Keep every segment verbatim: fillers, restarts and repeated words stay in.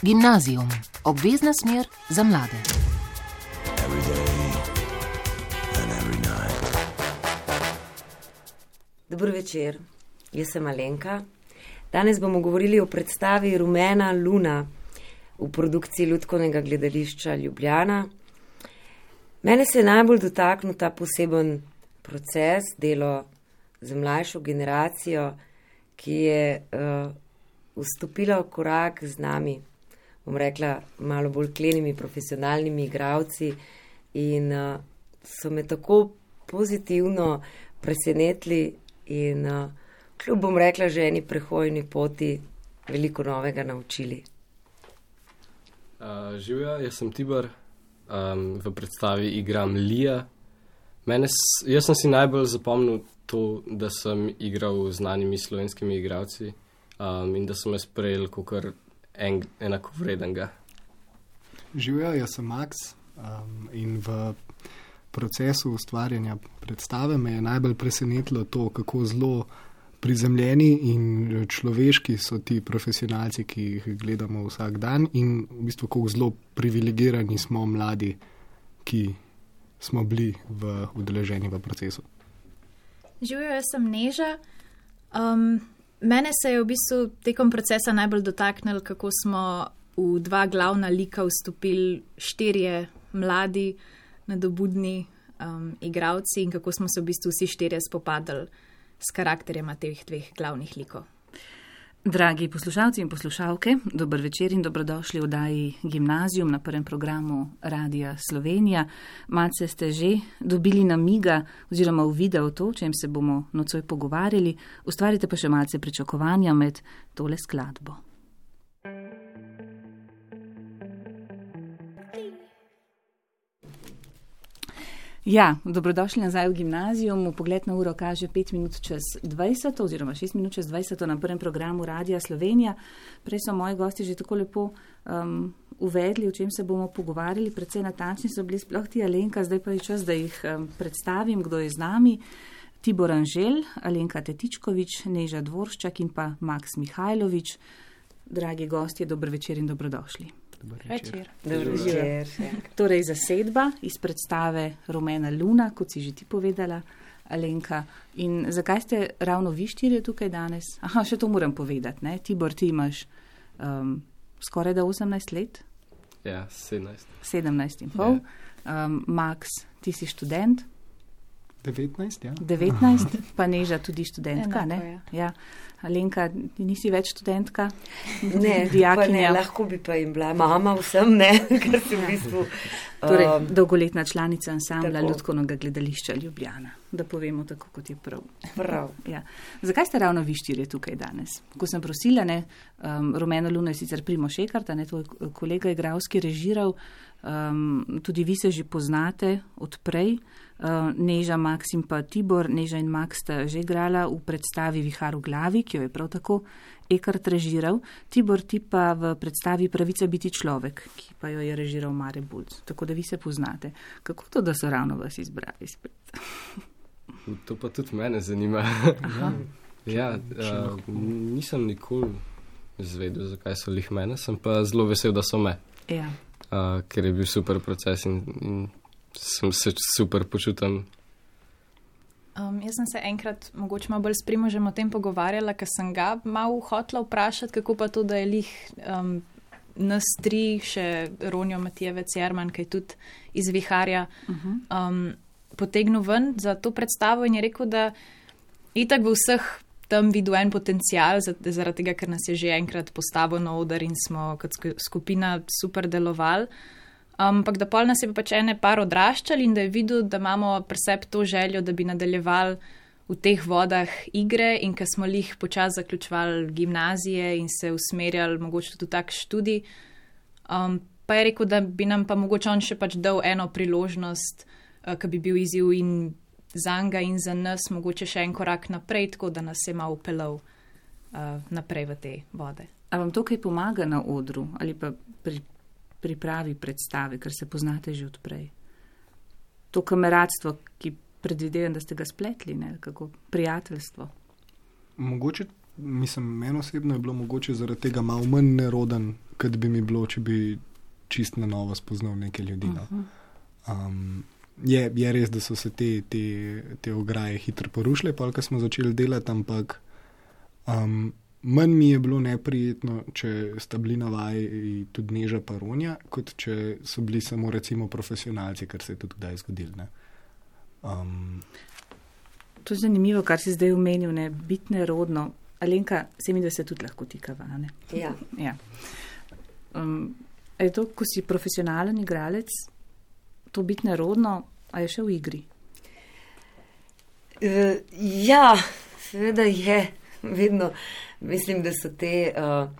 Gimnazijum, obvezna smer za mlade. Dobro večer, jaz sem Alenka. Danes bomo govorili o predstavi Rumena luna v produkciji Lutkovnega gledališča Ljubljana. Mene se je najbolj dotaknil ta poseben proces, delo z mlajšo generacijo, ki je uh, vstopila v korak z nami, bom rekla, malo bolj klenimi profesionalnimi igralci in uh, so me tako pozitivno presenetili in uh, kljub, bom rekla, že eni prehojni poti veliko novega naučili. Uh, živja, jaz sem Tibor, um, v predstavi igram Lija. Mene, jaz sem si najbolj zapomnil to, da sem igral z znanimi slovenskimi igralci um, in da sem me sprejel kakor en, enakovredenega. Živja, jaz sem Max um, in v procesu ustvarjanja predstave me je najbolj presenetilo to, kako zelo prizemljeni in človeški so ti profesionalci, ki jih gledamo vsak dan in v bistvu kako zelo privilegirani smo mladi, ki smo bili v udeleženi v procesu. Živjo, jaz sem Neža. Um, mene se je v bistvu tekom procesa najbolj dotaknilo, kako smo v dva glavna lika vstopili štirje mladi, nadobudni um, igravci in kako smo se v bistvu vsi štirje spopadali s karakterjema teh dveh glavnih likov. Dragi poslušalci in poslušalke, dober večer in dobrodošli v oddaji Gimnazijum na prvem programu Radia Slovenija. Malce ste že dobili namiga oziroma uvidel to, o čem se bomo nocoj pogovarjali. Ustvarite pa še malce pričakovanja med tole skladbo. Ja, dobrodošli nazaj v Gimnazijum. Pogled na uro kaže pet minut čez dvajset oziroma šest minut čez dvajset na prvem programu Radia Slovenija. Prej so moji gosti že tako lepo um, uvedli, o čem se bomo pogovarjali. Predvsej natančni so bili sploh ti, Alenka, zdaj pa je čas, da jih um, predstavim, kdo je z nami. Tibor Anželj, Alenka Tetičkovič, Neža Dvorščak in pa Max Mihajlovič. Dragi gostje, dober večer in dobrodošli. Večer. Večer. Torej zasedba iz predstave Rumena luna, kot si že ti povedala, Alenka. In zakaj ste ravno vi štirje tukaj danes? Aha, še to moram povedati, ne? Tibor, ti imaš um, skoraj da osemnajst let? Ja, sedemnajst. sedemnajst in pol. Ja. Um, Max, ti si študent? devetnajst, ja. devetnajst, pa Neža tudi študentka, Enako, ne? Ja. Alenka, nisi več študentka? Ne, pa ne, lahko bi pa jim bila mama vsem, ne, ker sem v bistvu... Torej, um, dolgoletna članica ansambla tako. Lutkovnega gledališča Ljubljana, da povemo tako, kot je prav. Prav. Ja. Zakaj ste ravno vi štirje tukaj danes? Ko sem prosila, ne, um, Rumeno luno je sicer Primož Ekart, ne, tvoj kolega igralski režiral, um, tudi vi se že poznate od prej, uh, Neža, Max in pa Tibor. Neža in Max sta že igrala v predstavi Vihar v glavi, ki jo je prav tako Ekart režiral. Tibor, ti pa v predstavi Pravica biti človek, ki pa jo je režiral Mare Bulc. Tako da vi se poznate. Kako to, da so ravno vas izbrali spet? To pa tudi mene zanima. Ja, uh, nisem nikoli izvedel, zakaj so lih mene, sem pa zelo vesel, da so me. Ja. Uh, ker je bil super proces in, in sem se super počutil. Um, jaz sem se enkrat mogoče malo bolj s Primožem o tem pogovarjala, ker sem ga malo hotela vprašati, kako pa to, da je lih um, nas tri, še Ronjo Matijevec Jerman, ki je tudi iz Viharja, uh-huh. um, potegnil ven za to predstavo in je rekel, da itak v vseh tam videl en potencial, zaradi tega, ker nas je že enkrat postavil na oder in smo kot skupina super delovali. Ampak um, da pol nas je pač ene par odraščali in da je videl, da imamo pri sebi to željo, da bi nadaljevali v teh vodah igre in ker smo lih počas zaključevali gimnazije in se usmerjali mogoče tudi tak študij, um, pa je rekel, da bi nam pa mogoče on še pač dal eno priložnost, uh, ki bi bil izziv in zanga in za nas mogoče še en korak naprej, tako da nas je malo upelal uh, naprej v te vode. A vam to kaj pomaga na odru ali pa pri pripravi predstave, ker se poznate že odprej? To kameradstvo, ki predvidevam, da ste ga spletli, ne? Kako prijateljstvo? Mogoče, mislim, meni osebno je bilo mogoče zaradi tega malo manj neroden kot bi mi bilo, če bi čist na novo spoznal neke ljudi. No. Um, je, je res, da so se te, te, te ograje hitro porušile, pa ko smo začeli delati, ampak um, manj mi je bilo neprijetno, če sta bili na vaji tudi Neža pa Ronja, kot če so bili samo recimo profesionalci, kar se je tudi kdaj zgodilo. Ne. Um, to je zanimivo, kar si zdaj omenil, ne, biti nerodno. Alenka, sedemdeset tudi lahko tikava, ne? Ja. Ja. Um, je to, ko si profesionalen igralec, to biti nerodno, a je še v igri? Uh, ja, seveda je. Vedno mislim, da so, te, uh,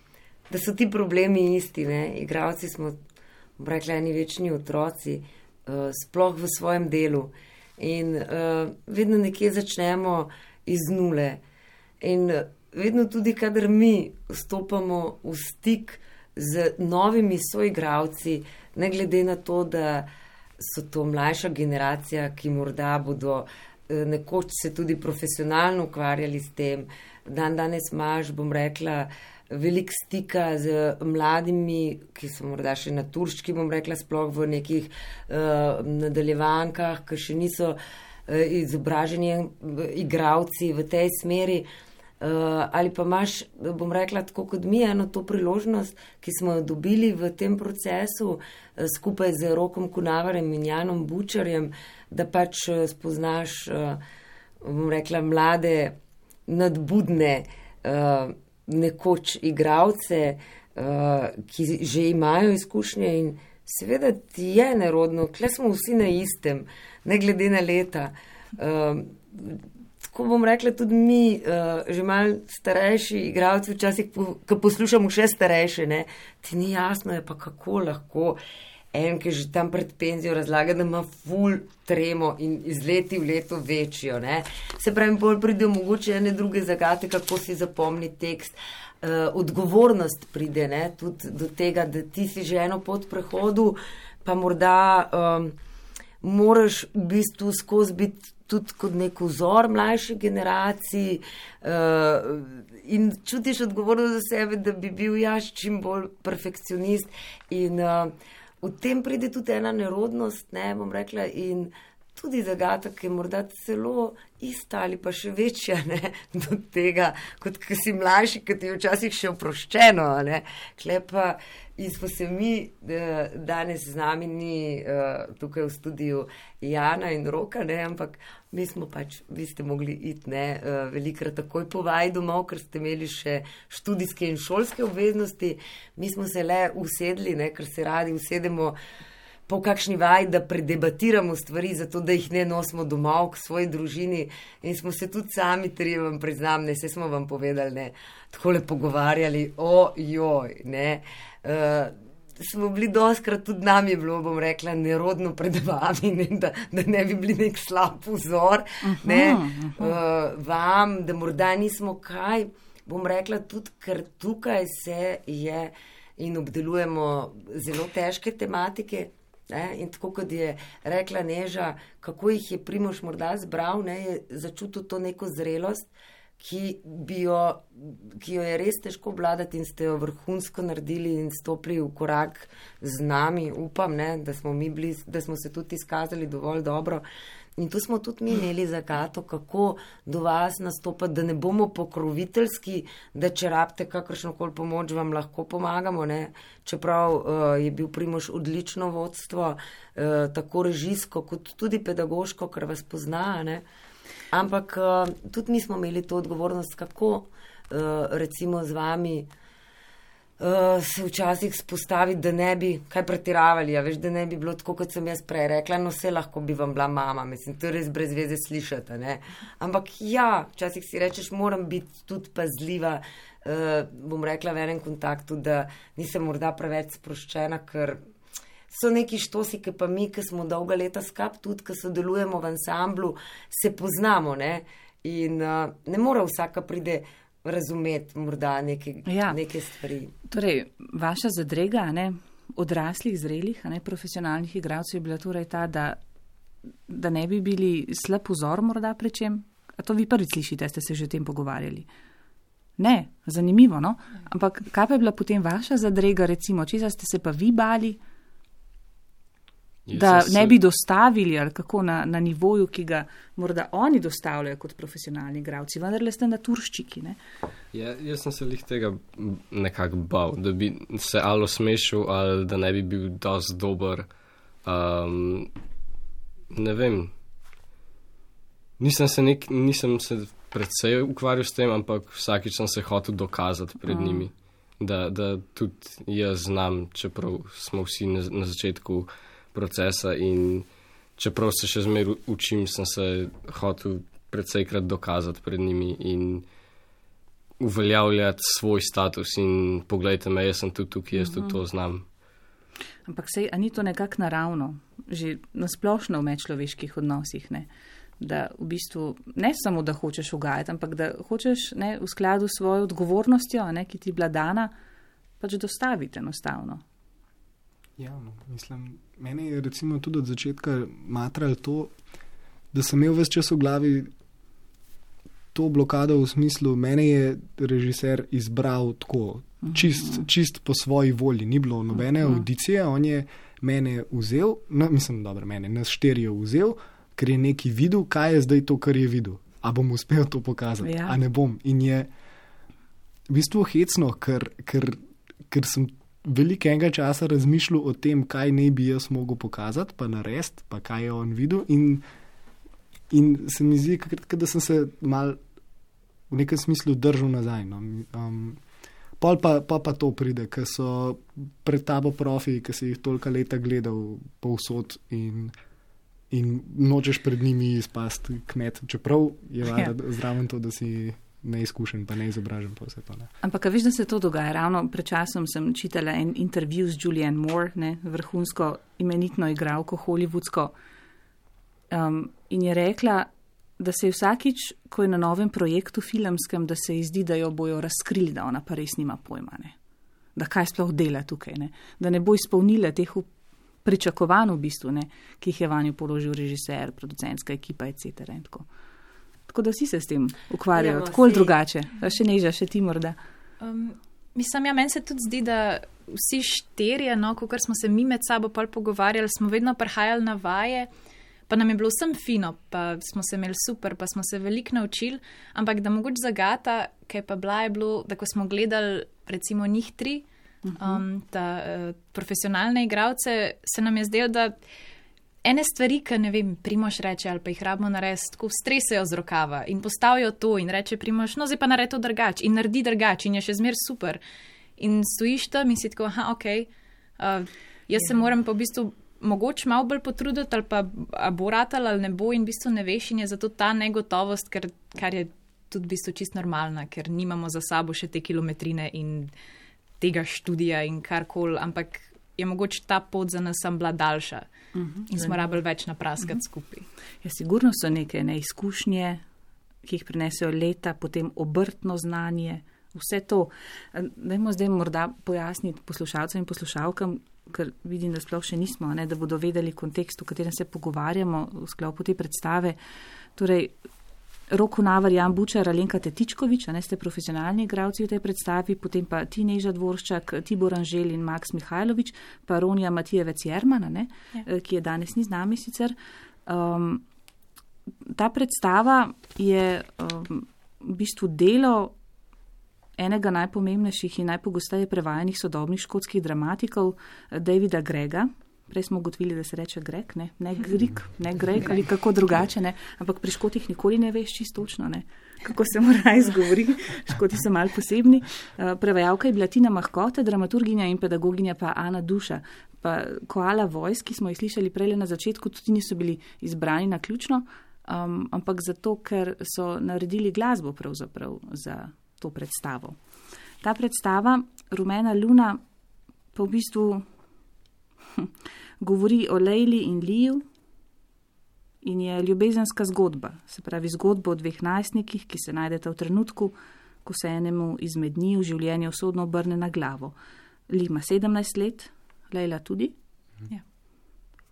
da so ti problemi isti. Ne? Igravci smo, bom rekla, eni večni otroci, uh, sploh v svojem delu. In uh, vedno nekje začnemo iz nule. In uh, vedno tudi, kadar mi vstopamo v stik z novimi soigravci, ne glede na to, da so to mlajša generacija, ki morda bodo uh, nekoč se tudi profesionalno ukvarjali s tem. Dan danes imaš, bom rekla, veliko stika z mladimi, ki so morda še na turški, bom rekla, sploh v nekih uh, nadaljevankah, ki še niso uh, izobraženi igravci v tej smeri. Uh, ali pa imaš, bom rekla, tako kot mi, eno to priložnost, ki smo jo dobili v tem procesu uh, skupaj z Rokom Kunavarjem in Janom Bučarjem, da pač uh, spoznaš, uh, bom rekla, mlade, nadbudne, uh, nekoč igravce, uh, ki že imajo izkušnje in seveda ti je nerodno, kle smo vsi na istem, ne glede na leta. Uh, Ko bom rekla, tudi mi, uh, že malo starejši igravci, včasih, po, ko poslušamo še starejše, ne, ti ni jasno, je pa kako lahko en, ki že tam pred penzijo razlaga, da ima ful tremo in iz leti v leto večjo. Ne. Se pravi, bolj pride mogoče ene druge zagate, kako si zapomni tekst. Uh, odgovornost pride ne, tudi do tega, da ti si že eno pot prehodu, pa morda um, moraš v bistvu skozi biti tudi kot nek vzor mlajši generaciji uh, in čutiš odgovornost za sebe, da bi bil jaz čim bolj perfekcionist in uh, v tem pride tudi ena nerodnost, ne, bom rekla, in tudi zagata, ki je morda celo ista ali pa še večja, ne, do tega, kot ki si mlajši, ki ti je včasih še oproščeno, ne, klepa. In smo se mi, danes z nami ni tukaj v studiu Jana in Roka, ne, ampak mi smo pač, vi ste mogli iti, ne, velikrat takoj po vaji domov, ker ste imeli še študijske in šolske obveznosti. Mi smo se le usedli, ne, ker se radi usedemo po kakšni vaji, da predebatiramo stvari, zato da jih ne nosimo domov k svoji družini in smo se tudi sami, trije vam priznam, ne, se smo vam povedali, ne, takole pogovarjali, ojoj, ne, uh, smo bili doskrat, tudi nam je bilo, bom rekla, nerodno pred vami, ne, da, da ne bi bili nek slab vzor, ne, uh, vam, da morda nismo kaj, bom rekla, tudi ker tukaj se je in obdelujemo zelo težke tematike. Ne, in tako, kot je rekla Neža, kako jih je Primož morda zbral, ne, je začutil to neko zrelost, ki, bi jo, ki jo je res težko obvladati in ste jo vrhunsko naredili in stopili v korak z nami, upam, ne, da smo mi bili, da smo se tudi izkazali dovolj dobro. In tu smo tudi mi imeli zagato, kako do vas nastopati, da ne bomo pokroviteljski, da če rabite kakršnokoli pomoč, vam lahko pomagamo. Ne? Čeprav uh, je bil Primož odlično vodstvo, uh, tako režijsko, kot tudi pedagoško, ker vas pozna. Ne? Ampak uh, tudi mi smo imeli to odgovornost, kako uh, recimo z vami Uh, se včasih spostaviti, da ne bi kaj pretiravali, ja, veš, da ne bi bilo tako, kot sem jaz prej rekla, no vse lahko bi vam bila mama, mislim, to je res brez veze slišati, ne, ampak ja, včasih si rečeš, moram biti tudi pazljiva, uh, bom rekla v enem kontaktu, da nisem morda preveč sproščena, ker so neki štosi, ki pa mi, ki smo dolga leta skap, tudi, ki sodelujemo v ansamblu, se poznamo, ne, in uh, ne mora vsaka pride razumeti morda neke, ja. neke stvari. Torej, vaša zadrega, ne, odraslih, zrelih, ne, profesionalnih igralcev je bila torej ta, da, da ne bi bili slab vzor morda pri čem? A to vi prvi slišite, ste se že o tem pogovarjali? Ne, zanimivo, no? Ampak kaj pa je bila potem vaša zadrega, recimo, česa ste se pa vi bali, Jaz da sem ne se- bi dostavili ali kako na, na nivoju, ki ga morda oni dostavljajo kot profesionalni igralci, vendar le ste naturščiki, ne? Ja, jaz sem se lih tega m, nekako bal, da bi se ali osmešil, ali da ne bi bil dosti dober. Um, ne vem. Nisem se, nek, nisem se predvsej ukvarjal s tem, ampak vsakič sem se hotel dokazati pred Mm. njimi, da, da tudi jaz znam, čeprav smo vsi na, na začetku procesa in čeprav se še zmeraj učim, sem se hotel predsejkrat dokazati pred njimi in uveljavljati svoj status in poglejte me, jaz sem tudi tukaj, jaz tudi to znam. Ampak sej, a ni to nekako naravno, že nasplošno v medčloveških odnosih, ne? Da v bistvu ne samo, da hočeš ugajati, ampak da hočeš, ne, v skladu s svojo odgovornostjo, ne, ki ti je bila dana, pač dostaviti enostavno. Ja, no, mislim, meni je recimo tudi od začetka matralo to, da sem imel ves čas v glavi to blokado v smislu, mene je režiser izbral tako, čist, čist po svoji volji, ni bilo nobene audicije, on je mene vzel, no, mislim, dobro, mene, nas štirijo vzel, ker je neki videl, kaj je zdaj to, kar je videl. A bom uspel to pokazati, Ja. a ne bom. In je v bistvu hecno, ker, ker, ker sem veliko enega časa razmišljal o tem, kaj naj bi jaz mogel pokazati, pa narediti, pa kaj je on videl. In, in se mi zdi, kakrat, da sem se mal v nekem smislu držal nazaj. No. Um, pol pa, pa pa to pride, ker so pred tabo profi, ki si jih tolika leta gledal povsod in, in nočeš pred njimi izpasti kmet, čeprav je Ja. ja. zraven to, da si neizkušen, pa neizobražen, pa vse to. Ne. Ampak a veš, da se to dogaja. Ravno pred časom sem čitala en intervju z Julianne Moore, ne, vrhunsko imenitno igralko hollywoodsko, um, in je rekla, da se je vsakič, ko je na novem projektu filmskem, da se ji zdi, da jo bojo razkrili, da ona pa res nima pojma, ne. Da kaj sploh dela tukaj, ne. Da ne bo izpolnila teh pričakovanj v bistvu, ne, ki jih je vanjo položil režiser, producentska ekipa, et cetera in tako. Tako da vsi se s tem ukvarjajo, Ja, no, tako ali saj- drugače. A še Neža, še ti morda. Um, mislim, ja, meni se tudi zdi, da vsi štirje, no, ko smo se mi med sabo pol pogovarjali, smo vedno prihajali na vaje, pa nam je bilo vsem fino, pa smo se imeli super, pa smo se veliko naučili, ampak da mogoče zagata, kaj pa bila je bilo, da ko smo gledali recimo njih tri, um, ta uh, profesionalne igralce, se nam je zdelo, da ene stvari, ki ne vem, Primož reče ali pa jih rabimo narediti, tako stresejo z rokava in postavijo to in reče Primož, no zdaj pa naredi to drugače in naredi drugače in je še zmer super. In stojiš tam in si tako, aha, ok, uh, jaz ja. se moram pa v bistvu mogoče malo bolj potruditi ali pa a bo ratal ali ne bo in v bistvu ne veš in je zato ta negotovost, ker, kar je tudi v bistvu čist normalna, ker nimamo za sabo še te kilometrine in tega študija in karkoli, ampak je mogoče ta pot za nas sem bila daljša uh -huh, in smo rabili več napraskati uh -huh. skupaj. Ja, sigurno so neke neizkušnje, ki jih prinesejo leta, potem obrtno znanje, vse to. Dajmo zdaj morda pojasniti poslušalcem in poslušalkam, ker vidim, da sploh še nismo, ne, da bodo vedeli kontekst, v katerem se pogovarjamo v sklopu te predstave. Torej, Rok Hunavar, Jan Bučar, Alenka Tetičkovič, a ne ste profesionalni igralci v tej predstavi, potem pa ti Neža Dvorščak, Tibor Anžel in Maks Mihajlović, pa Ronja Matijevec Jerman, ne, ja. ki je danes ni z nami sicer. Um, ta predstava je um, v bistvu delo enega najpomembnejših in najpogosteje prevajanih sodobnih škotskih dramatikov, Davida Grega. Prej smo ugotovili, da se reče Greg, ne, ne Grig, ne Greg ali kako drugače, ne, ampak pri Škotih nikoli ne veš čisto točno, ne, kako se mora izgovori, Škoti so malo posebni. Prevajalka je bila Tina Mahkote, dramaturginja in pedagoginja pa Ana Duša. Pa Koala Voice, ki smo jih slišali prej na začetku, tudi niso bili izbrani na ključno, um, ampak zato, ker so naredili glasbo pravzaprav za to predstavo. Ta predstava, Rumena luna, pa v bistvu govori o Lejli in Liju in je ljubezenska zgodba, se pravi zgodba o dveh najstnikih, ki se najdeta v trenutku, ko se enemu izmed njih v življenju usodno obrne na glavo. Li ima sedemnajst let, Lejla tudi. Ja.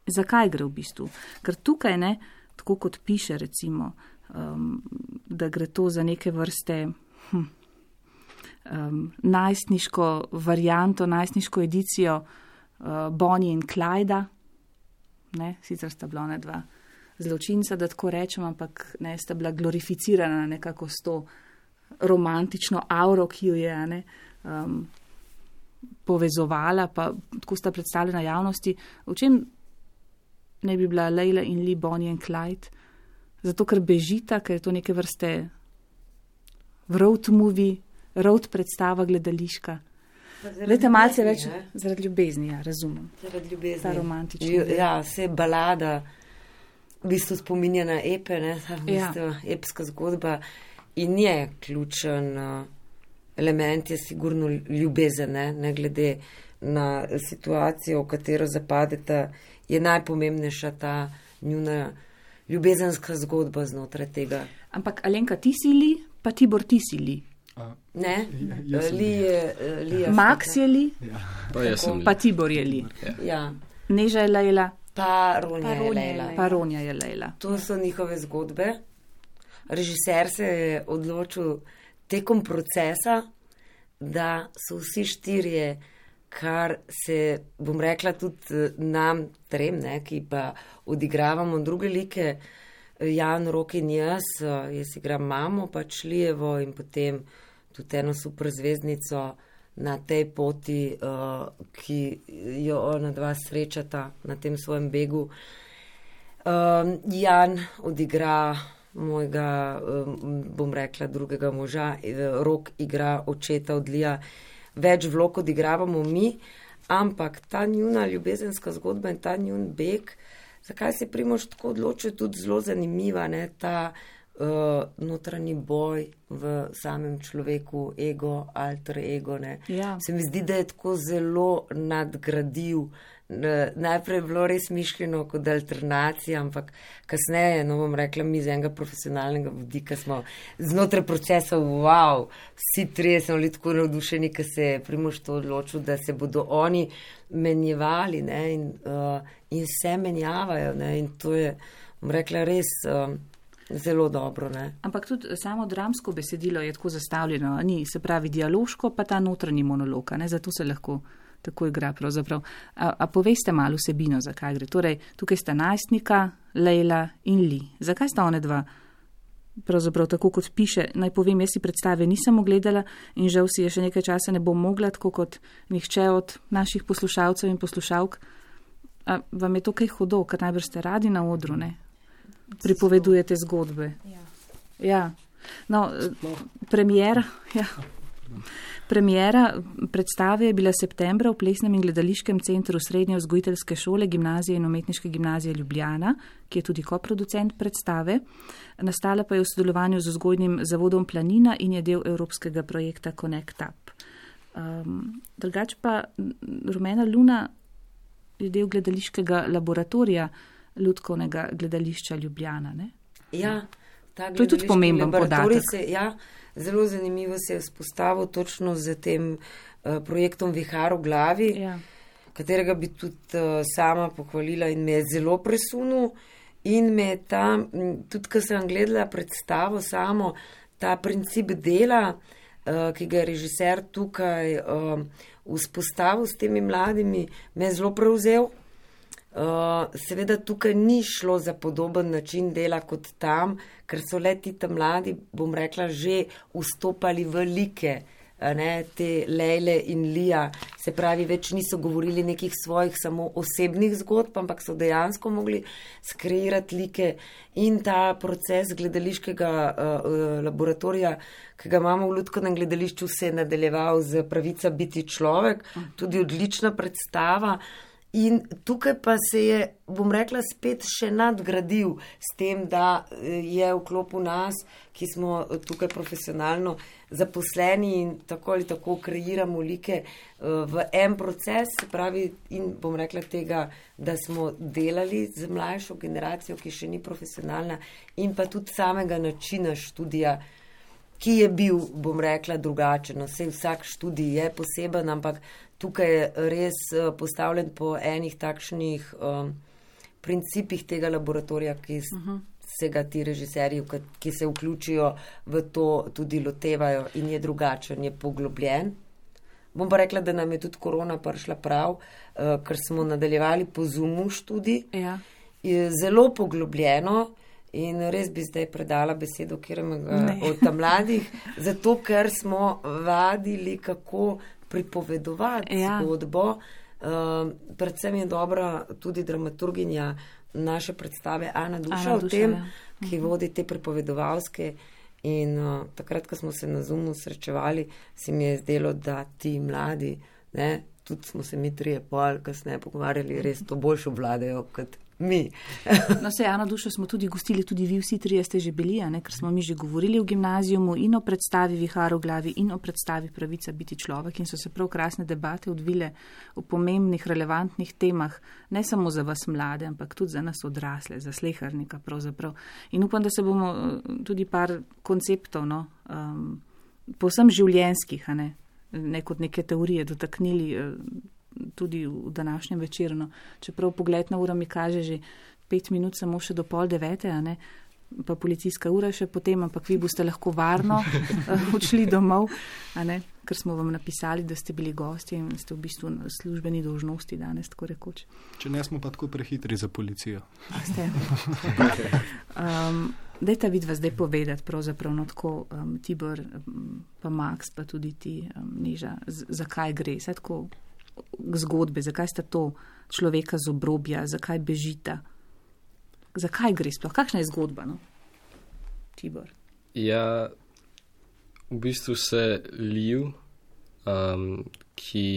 Zakaj gre v bistvu? Ker tukaj ne, tako kot piše recimo, um, da gre to za neke vrste hm, um, najstniško varianto, najstniško edicijo uh, Bonnie in Clyda. Ne, sicer sta bila ona dva zločinca, da tako rečem, ampak ne, sta bila glorificirana nekako s to romantično auro, ki jo je ne, um, povezovala, pa tako sta predstavljena javnosti. V čem ne bi bila Leila in Lee Bonnie and Clyde? Zato, ker bežita, ker je to neke vrste road movie, road predstava gledališka. Leta malce več ne? Zaradi ljubezni, ja, razumem. Zaradi ljubezni. Ta romantična. Ja, vse balada, v bistvu spominja na epe, ne, ta v bistvu ja. Epska zgodba in je ključen uh, element, je sigurno ljubezen, ne, ne glede na situacijo, v katero zapadeta, je najpomembnejša ta njuna ljubezenska zgodba znotraj tega. Ampak Alenka, ti si Li, pa Tibor, ti si Li. A, ne, ja, Li je Li. Max je Li, ja. pa, pa Tibor je Li. Ja. Ja. Neža je Leila, pa Ronja je Leila. Pa Ronja je Leila. To so njihove zgodbe. Režiser se je odločil tekom procesa, da so vsi štirje, kar se, bom rekla, tudi nam trem, ne, ki pa odigravamo druge like, Jan, Rok in jaz, jaz igram mamo, pač Lijevo in potem tudi eno super zvezdnico na tej poti, uh, ki jo ona dva srečata na tem svojem begu. Um, Jan odigra mojega, um, bom rekla, drugega moža, Rok igra očeta od Lija. Več vlog odigravamo mi, ampak ta njuna ljubezenska zgodba in ta njun beg, zakaj se Primož tako odločil, tudi zelo zanimiva, ne, ta uh, notranji boj v samem človeku, ego, alter ego, ne. Ja. Se mi zdi, da je tako zelo nadgradil. Najprej je bilo res mišljeno kot alternacija, ampak kasneje, no bom rekla, mi z enega profesionalnega vidika smo znotraj procesa, wow, vsi trije smo bili tako navdušeni, ker se je Primož to odločil, da se bodo oni menjevali, ne, in, uh, in se menjavajo, ne, in to je, bom rekla, res uh, zelo dobro, ne. Ampak tudi samo dramsko besedilo je tako zastavljeno, ni, se pravi dialoško, pa ta notranji monolog, ne, zato se lahko tako igra pravzaprav. A, a poveste malo vsebino, zakaj gre? Torej, tukaj sta najstnika, Leila in Li. Zakaj sta one dva? Pravzaprav tako, kot piše, naj povem, jaz si predstave nisem ogledala in žal si je še nekaj časa ne bom mogla, tako kot nihče od naših poslušalcev in poslušalk. A vam je to kaj hudo, ker najbrž ste radi na odru, ne? Pripovedujete zgodbe. Ja. Ja. No, premiera, ja. Premiera predstave je bila septembra v Plesnem in gledališkem centru Srednje vzgojiteljske šole, gimnazije in umetniške gimnazije Ljubljana, ki je tudi koproducent predstave. Nastala pa je v sodelovanju z vzgojnim zavodom Planina in je del evropskega projekta Connect Up. Um, drugač pa Rumena Luna je del gledališkega laboratorija Lutkovnega gledališča Ljubljana, ne? Ja, ta to je tudi pomemben podatek. Se, ja, zelo zanimivo se je vzpostavil točno z tem uh, projektom Vihar v glavi, ja. Katerega bi tudi uh, sama pohvalila in me je zelo presunil in me je tam, tudi ko sem gledala predstavo samo, ta princip dela, uh, ki ga je režiser tukaj uh, vzpostavil s temi mladimi, me je zelo prevzel. Uh, seveda tukaj ni šlo za podoben način dela kot tam, ker so le ti tam mladi, bom rekla, že vstopali v like, ne, te Lejle in Lija, se pravi, več niso govorili nekih svojih samo osebnih zgodb, ampak so dejansko mogli skreirati like in ta proces gledališkega uh, laboratorija, ki ga imamo v Lutkovnem gledališču, se je nadaljeval z Pravica biti človek, tudi odlična predstava. In tukaj pa se je, bom rekla, spet še nadgradil s tem, da je v klopu nas, ki smo tukaj profesionalno zaposleni in tako ali tako kreiramo like v en proces, se pravi, in bom rekla tega, da smo delali z mlajšo generacijo, ki še ni profesionalna, in pa tudi samega načina študija, ki je bil, bom rekla, drugačen. Vse vsak študij je poseben, ampak tukaj je res postavljen po enih takšnih um, principih tega laboratorija, ki uh-huh. se ga ti režiserji, ki se vključijo v to, tudi lotevajo in je drugačen, je poglobljen. Bom pa rekla, da nam je tudi korona prišla prav, uh, ker smo nadaljevali po Zoomu študij. Ja. Je zelo poglobljeno in res bi zdaj predala besedo kjeremega od tam mladih, zato ker smo vadili, kako pripovedovati ja. zgodbo. Uh, predvsem je dobra tudi dramaturginja naše predstave Ana Duša, Ana Duša v tem, ja. ki vodi te pripovedovalske. In uh, takrat, ko smo se na Zoomu srečevali, se mi je zdelo, da ti mladi, ne, tudi smo se mi trije pol kasneje pogovarjali, res to boljše obvladajo kot mi. No, se Ano Dušo smo tudi gostili, tudi vi vsi trije ste že bili, a ne, ker smo mi že govorili v gimnazijumu in o predstavi Vihar v glavi in o predstavi Pravica biti človek in so se prav krasne debate odvile o pomembnih, relevantnih temah, ne samo za vas mlade, ampak tudi za nas odrasle, za slehernika pravzaprav. In upam, da se bomo tudi par konceptov, no, um, povsem življenjskih, a ne, ne kot neke teorije dotaknili tudi v današnjem večeru. No. Čeprav pogled na uro mi kaže že pet minut, samo še do pol devete, a ne, pa policijska ura še potem, ampak vi boste lahko varno odšli domov, a ne, ker smo vam napisali, da ste bili gosti in ste v bistvu na službeni dolžnosti danes, tako rekoč. Če ne smo pa tako prehitri za policijo. A ste. Um, dajte vidva zdaj povedati, pravzaprav, no tako, um, Tibor, um, pa Max, pa tudi ti, um, Neža, z- zakaj gre? Saj tako zgodbe, zakaj sta to človeka z obrobja, zakaj bežita, zakaj gre sploh, kakšna je zgodba, no? Tibor. Ja, v bistvu se Liu, um, ki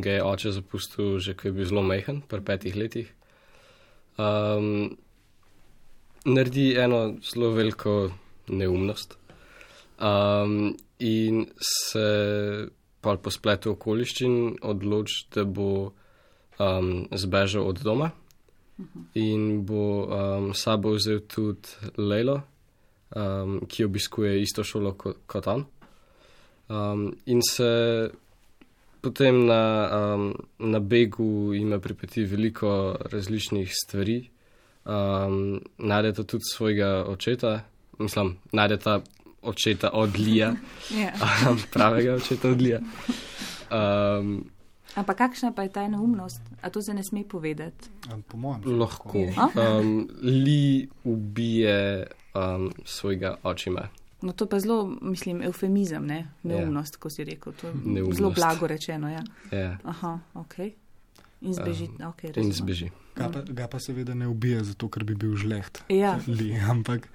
ga je oče zapustil že, ko je bil zelo majhen, pri petih letih, um, naredi eno zelo veliko neumnost um, in se pa po spletu okoliščin odloči, da bo um, zbežal od doma uh-huh. in bo um, sabo vzel tudi Lejlo, um, ki obiskuje isto šolo kot, kot on. Um, in se potem na, um, na begu ima pripeti veliko različnih stvari. Um, najdeta tudi svojega očeta, mislim, najdeta očeta od Lija, yeah. um, pravega očeta od Lija. Um, Ampak kakšna pa je ta neumnost? A to se ne sme povedati? Po mojem. Lahko. Um, Li ubije um, svojega očima. No to pa zelo, mislim, eufemizem, ne? Neumnost, yeah. ko si rekel. To je neumnost. Zelo blago rečeno, ja. Yeah. Aha, ok. In zbeži. Um, okay, in zbeži. Ga pa, ga pa seveda ne ubije, zato ker bi bil žleht. Ja. Li, ampak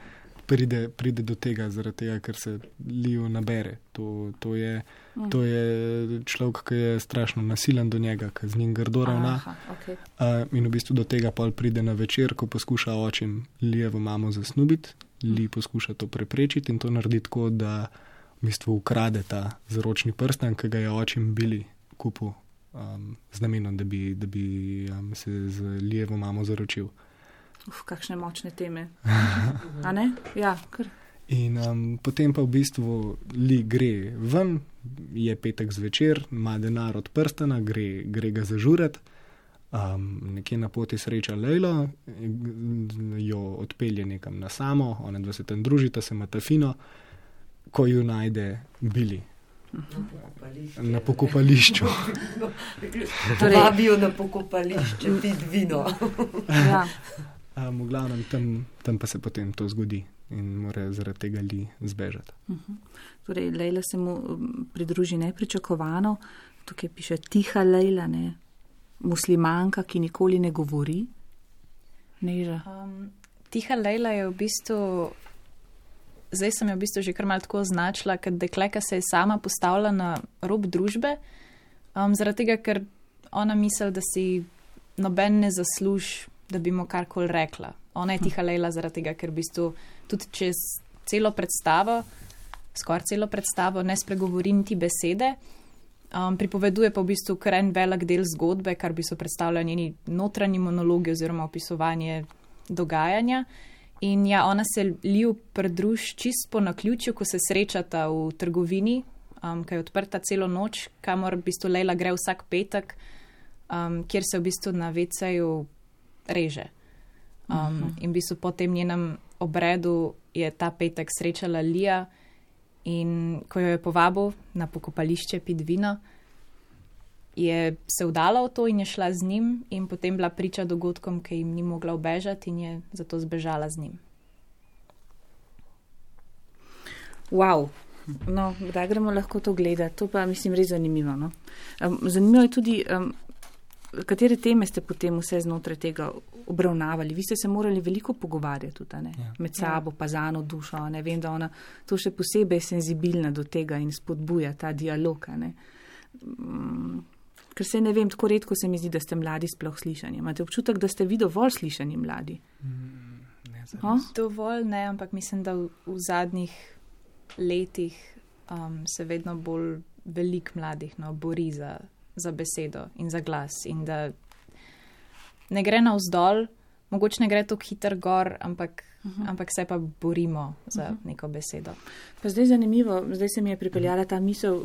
pride, pride do tega, zaradi tega, ker se Liju nabere. To, to, je, mm. to je človek, ki je strašno nasilen do njega, ki z njim grdo ravna. Okay. Uh, in v bistvu do tega pol pride na večer, ko poskuša očim Lijevo mamo zasnubiti. Li poskuša to preprečiti in to naredi tako, da v bistvu ukrade ta zaročni prsten, ki ga je očim bili kupil um, z namenom, da bi, da bi um, se z Lijevo mamo zaročil. Uf, kakšne močne teme. A ne? Ja, kar. In um, potem pa v bistvu Li gre ven, je petek zvečer, ima denar od prstana, gre, gre ga zažurati, um, nekje na poti sreča Lejlo, jo odpelje nekam na samo, ona dva se tam družita, se imata fino, ko ju najde Billy. Na pokopališču. Torej, vabijo na pokopališče, pit vino. Ja. Um, v glavnem, tam, tam pa se potem to zgodi in mora zaradi tega Li zbežati. Uh-huh. Torej, Lejla se mu pridruži nepričakovano, tukaj piše tiha Lejla, ne, muslimanka, ki nikoli ne govori. Neža. Um, tiha Lejla je v bistvu, zdaj sem jo v bistvu že kar malo tako označila, ker dekleka se je sama postavila na rob družbe, um, zaradi tega, ker ona misli, da si noben ne zasluži, da bi mu karkoli rekla. Ona je tiha Lejla zaradi tega, ker v bistvu tudi čez celo predstavo, skoraj celo predstavo, ne spregovori niti besede. Um, pripoveduje pa v bistvu kar en velik del zgodbe, kar bi so predstavljali njeni notranji monologi oziroma opisovanje dogajanja. In ja, ona se Liju pridruži čist po naključju, ko se srečata v trgovini, um, ki je odprta celo noč, kamor v bistvu Lejla gre vsak petek, um, kjer se v bistvu na veceju reže. Um, uh-huh. In v bistvu po tem njenem obredu je ta petek srečala Lija in ko jo je povabil na pokopališče pit vino, je se vdala v to in je šla z njim in potem bila priča dogodkom, ki jim ni mogla ubežati in je zato zbežala z njim. Wow. No, kdaj gremo lahko to gledati? To pa mislim res zanimivo. No? Um, zanimivo je tudi, um, katere teme ste potem vse znotraj tega obravnavali. Vi ste se morali veliko pogovarjati tudi, ne? Ja. Med sabo, pa z Ano dušo. Ne? Vem, da ona to še posebej senzibilna do tega in spodbuja ta dialog. Ne? Um, ker se ne vem, tako redko se mi zdi, da ste mladi sploh slišani. Imate občutek, da ste vi dovolj slišani mladi? Mm, ne, oh? Dovolj ne, ampak mislim, da v, v zadnjih letih um, se vedno bolj velik mladih no, bori za, za besedo in za glas in da ne gre navzdol, mogoče ne gre tako hiter gor, ampak, uh-huh. ampak se pa borimo za uh-huh. neko besedo. Pa zdaj zanimivo, zdaj se mi je pripeljala ta misel,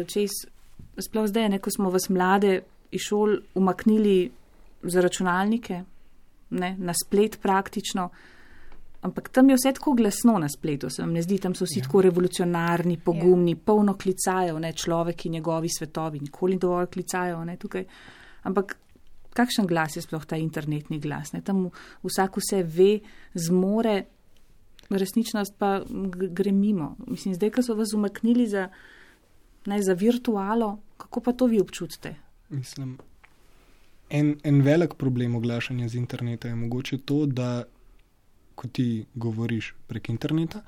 čez, sploh zdaj, ne, ko smo vas mlade iz šol umaknili za računalnike, ne, na splet praktično, ampak tam je vse tako glasno na spletu, se vam ne zdi, tam so vsi ja. tako revolucionarni, pogumni, ja. polno klicajo, ne, človek in njegovi svetovi, nikoli dovolj klicajo, ne, tukaj. Ampak kakšen glas je sploh ta internetni glas, ne, tam vsak vse ve, zmore, resničnost pa gre mimo. Mislim, zdaj, ko so vas umaknili za, ne, za virtualo, kako pa to vi občutite? Mislim, en, en velik problem oglašanja z interneta je mogoče to, da ko ti govoriš prek interneta,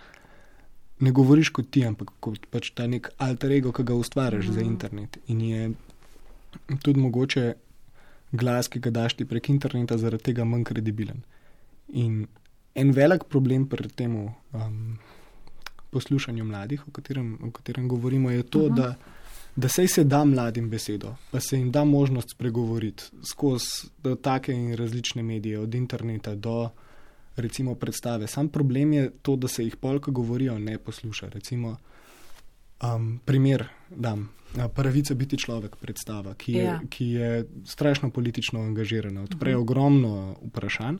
ne govoriš kot ti, ampak kot pač ta nek alter ego, ki ga ustvarjaš mm. za internet. In je tudi mogoče glas, ki ga daš ti prek interneta, zaradi tega manj kredibilen. In en velik problem pri temu um, poslušanju mladih, o katerem, o katerem govorimo, je to, uh-huh. da, da sej se da mladim besedo, pa se jim da možnost spregovoriti skozi take in različne medije, od interneta do recimo predstave. Sam problem je to, da se jih polka govorijo, ne posluša. Recimo, um, primer dam, Pravica biti človek predstava, ki je, ja. ki je strašno politično angažirana, odpre uh-huh. ogromno vprašanj,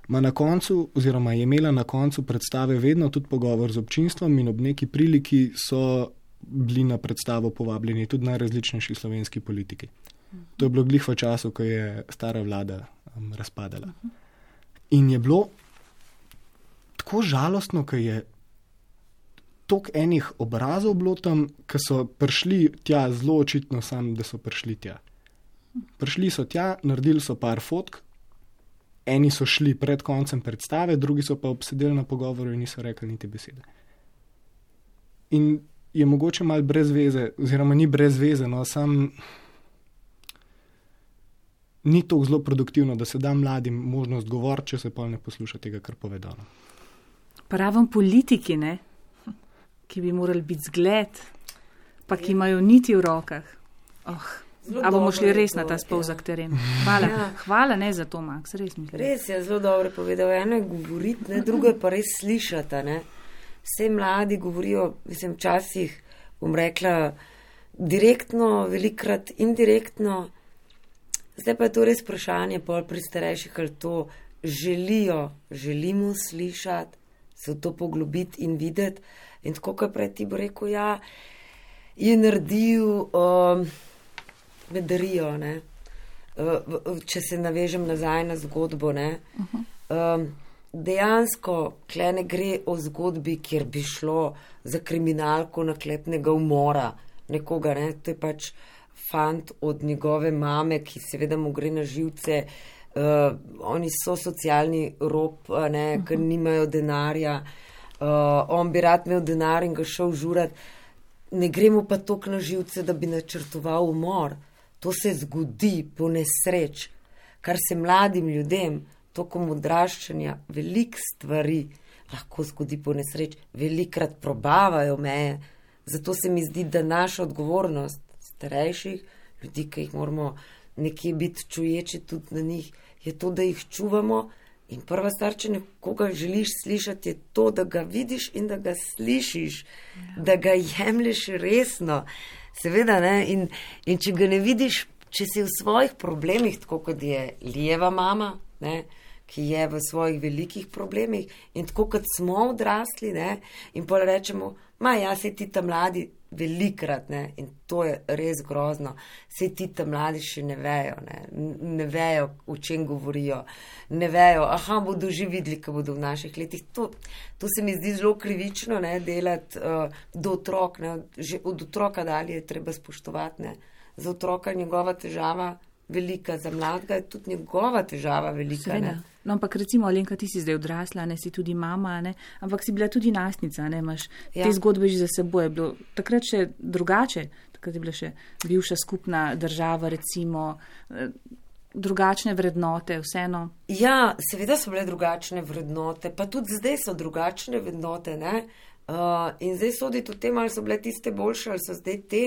ma na koncu, oziroma je imela na koncu predstave vedno tudi pogovor z občinstvom in ob neki priliki so bili na predstavo povabljeni tudi najrazličnejši slovenski politiki. Uh-huh. To je bilo glih v času, ko je stara vlada um, razpadala. Uh-huh. In je bilo tako žalostno, ker je toliko enih obrazov bilo tam, ki so prišli tja zelo očitno sam, da so prišli tja. Prišli so tja, naredili so par fotk, eni so šli pred koncem predstave, drugi so pa obsedeli na pogovoru in niso rekli niti besede. In je mogoče malo brez veze, oziroma ni brez veze, no, sam ni to zelo produktivno, da se da mladim možnost govoriti, če se pol ne posluša tega, kar povedano. Pravom politiki, ne, ki bi morali biti zgled, pa ki imajo niti v rokah. Oh, a bomo šli res to, na ta spolzak ja. teren. Hvala. Ja. Hvala ne za to, Max, res mislim. Res je zelo dobro povedal. Eno je govoriti, ne, drugo je pa res slišati. Ne. Vse mladi govorijo, mislim, včasih, bom rekla, direktno, velikrat indirektno. Zdaj pa je to res vprašanje pol pri starejših, ali to želijo, želimo slišati, se v to poglobiti in videti. In tako, kot prej ti bo rekel, ja, je naredil um, vedarijo, ne. Uh, če se navežem nazaj na zgodbo, ne. Uh-huh. Um, dejansko, tle ne gre o zgodbi, kjer bi šlo za kriminalko naklepnega umora nekoga, ne. To je pač fant od njegove mame, ki seveda mu gre na živce, uh, oni so socialni rob, ne, uh-huh. ker nimajo denarja, uh, on bi rad imel denar in ga šel žurat, ne gre mu pa toliko na živce, da bi načrtoval umor. To se zgodi po nesreč, kar se mladim ljudem, tokom odraščanja, veliko stvari lahko zgodi po nesreč, velikrat probavajo meje, zato se mi zdi, da naša odgovornost starejših ljudi, ki jih moramo nekje biti čuječi tudi na njih, je to, da jih čuvamo in prva stvar, če nekoga želiš slišati, je to, da ga vidiš in da ga slišiš, ja. da ga jemlješ resno, seveda, ne, in, in če ga ne vidiš, če si v svojih problemih, tako kot je Lijeva mama, ne, ki je v svojih velikih problemih in tako kot smo odrasli, ne, in pol rečemo, ma ja, se ti ta mladi velikrat, ne, in to je res grozno, se ti ta mladi še ne vejo, ne, ne vejo, o čem govorijo, ne vejo, aha, bodo že videli, ko bodo v naših letih. To, to se mi zdi zelo krivično, ne, delati uh, do otrok, ne, že od otroka dalje je treba spoštovati, ne, za otroka njegova težava velika, za mladega je tudi njegova težava velika. Ne. No, ampak recimo, Alenka, ti si zdaj odrasla, ne, si tudi mama, ne, ampak si bila tudi najstnica, ne, imaš ja. te zgodbe že za seboj. Je bilo takrat še drugače, takrat je bila še bivša skupna država, recimo, drugačne vrednote, vseeno. Ja, seveda so bile drugačne vrednote, pa tudi zdaj so drugačne vrednote, ne. Uh, in zdaj soditi o tem, ali so bile tiste boljše, ali so zdaj te,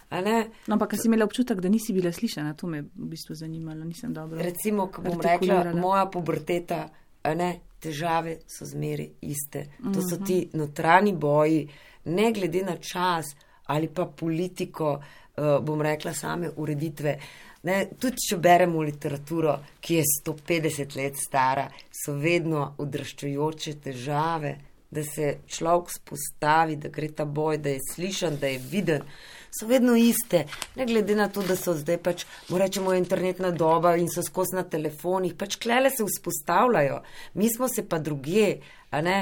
a ne. No, ampak si imela občutek, da nisi bila slišana, to me v bistvu zanimalo, nisem dobro. Recimo, ko bom rekla, moja puberteta, a ne, težave so zmeri iste. To so ti notranji boji, ne glede na čas ali pa politiko, uh, bom rekla, same ureditve. Ne, tudi če beremo literaturo, ki je sto petdeset let stara, so vedno odraščajoče težave, da se človek spostavi, da gre ta boj, da je slišan, da je viden, so vedno iste. Ne glede na to, da so zdaj pač, rečemo, internetna doba in so skozi na telefonih, pač klele se vzpostavljajo. Mi smo se pa drugje, a ne.